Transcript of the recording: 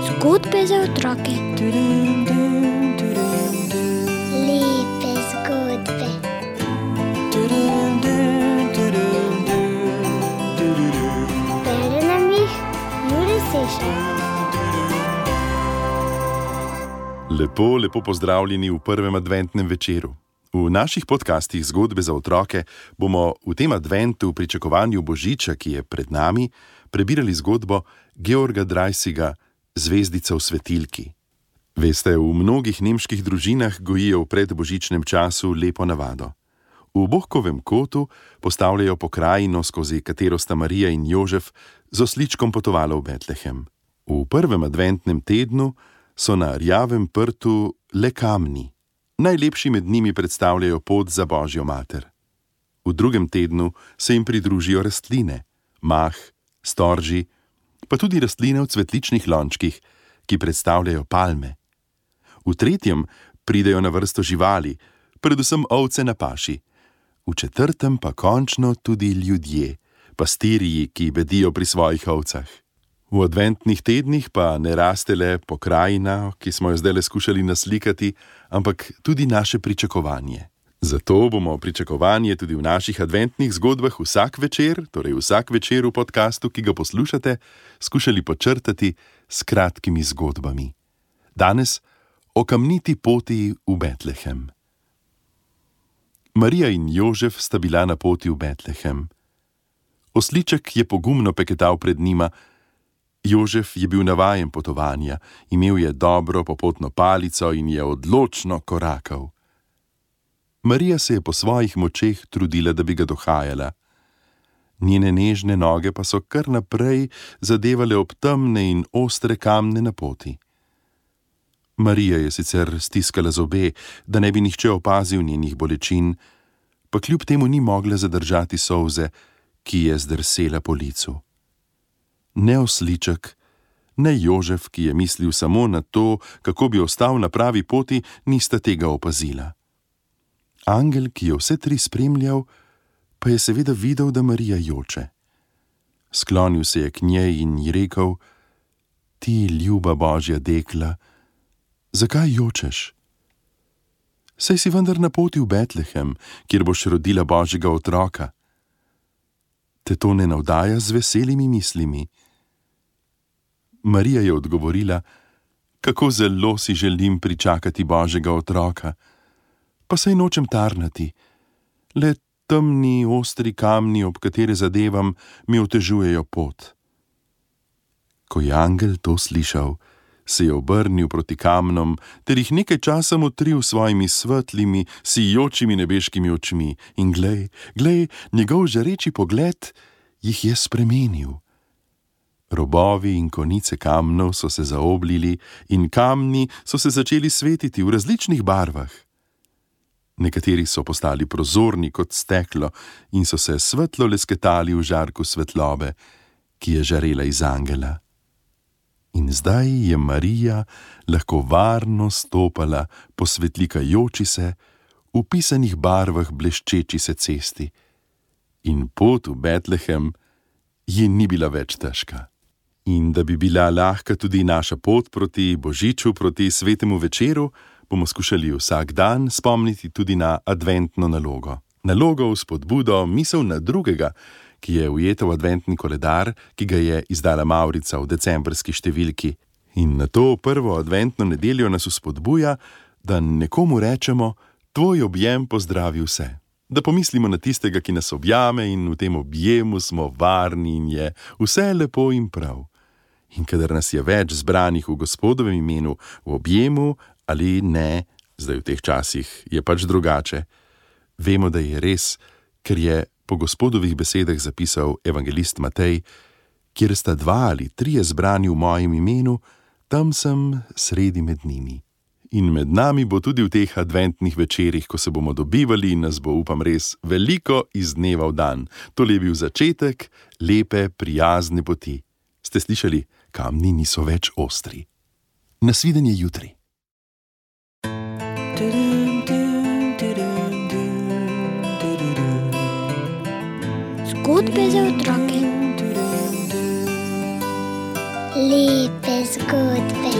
Zgodbe za otroke. Lepe zgodbe. Bere nam jih Jure Sešar. Lepo pozdravljeni v prvem adventnem večeru. V naših podcastih Zgodbe za otroke bomo v tem adventu v pričakovanju Božiča, ki je pred nami, prebirali zgodbo Georga Dreisiga Zvezdica v svetilki. Veste, v mnogih nemških družinah gojijo v predbožičnem času lepo navado. V Bohkovem kotu postavljajo pokrajino, skozi katero sta Marija in Jožef z osličkom potovala v Betlehem. V prvem adventnem tednu so na rjavem prtu le kamni. Najlepši med njimi predstavljajo pot za Božjo mater. V drugem tednu se jim pridružijo rastline, mah, storži, pa tudi rastline v cvetličnih lončkih, ki predstavljajo palme. V tretjem pridejo na vrsto živali, predvsem ovce na paši. V četrtem pa končno tudi ljudje, pastirji, ki bedijo pri svojih ovcah. V adventnih tednih pa ne raste le pokrajina, ki smo jo zdajle skušali naslikati, ampak tudi naše pričakovanje. Zato bomo pričakovanje tudi v naših adventnih zgodbah vsak večer v podcastu, ki ga poslušate, skušali počrtati s kratkimi zgodbami. Danes o kamniti poti v Betlehem. Marija in Jožef sta bila na poti v Betlehem. Osliček je pogumno peketal pred njima. Jožef je bil navajen potovanja, imel je dobro popotno palico in je odločno korakal. Marija se je po svojih močeh trudila, da bi ga dohajala. Njene nežne noge pa so kar naprej zadevale ob temne in ostre kamne na poti. Marija je sicer stiskala zobe, da ne bi nihče opazil njenih bolečin, pa kljub temu ni mogla zadržati solze, ki je zdrsela po licu. Ne osliček, ne Jožef, ki je mislil samo na to, kako bi ostal na pravi poti, nista tega opazila. Angel, ki je vse tri spremljal, pa je seveda videl, da Marija joče. Sklonil se je k njej in ji rekel: Ti, ljuba Božja dekla, zakaj jočeš? Saj si vendar na poti v Betlehem, kjer boš rodila Božjega otroka. Te to ne navdaja z veselimi mislimi? Marija je odgovorila: Kako zelo si želim pričakati Božjega otroka, pa saj nočem tarnati, le temni, ostri kamni, ob katere zadevam, mi otežujejo pot. Ko je angel to slišal, se je obrnil proti kamnom ter jih nekaj časa motril svojimi svetlimi, sijočimi nebeškimi očmi in glej, njegov žareči pogled jih je spremenil. Robovi in konice kamnov so se zaoblili in kamni so se začeli svetiti v različnih barvah. Nekateri so postali prozorni kot steklo in so se svetlo lesketali v žarku svetlobe, ki je žarela iz angela. In zdaj je Marija lahko varno stopala po svetlikajoči se, v pisanih barvah bleščeči se cesti. In pot v Betlehem ji ni bila več težka. In da bi bila lahka tudi naša pot proti Božiču, proti svetemu večeru, bomo skušali vsak dan spomniti tudi na adventno nalogo. Nalogo v spodbudo, misel na drugega, ki je ujeta v adventni koledar, ki ga je izdala Mavrica v decembrski številki. In na to prvo adventno nedeljo nas spodbuja, da nekomu rečemo: Tvoj objem pozdravi vse. Da pomislimo na tistega, ki nas objame, in v tem objemu smo varni in je vse lepo in prav. In kadar nas je več zbranih v Gospodovem imenu, v objemu ali ne, zdaj v teh časih je pač drugače, vemo, da je res, ker je po Gospodovih besedah zapisal evangelist Matej: Kjer sta 2 ali 3 zbrani v mojem imenu, tam sem sredi med njimi. In med nami bo tudi v teh adventnih večerih, ko se bomo dobivali in nas bo, upam, res veliko iz dneva v dan. To je bil začetek lepe, prijazne poti. Ste slišali? Kamni niso več ostri. Nasvidenje jutri. Zgodbe za otroke. Lepe zgodbe.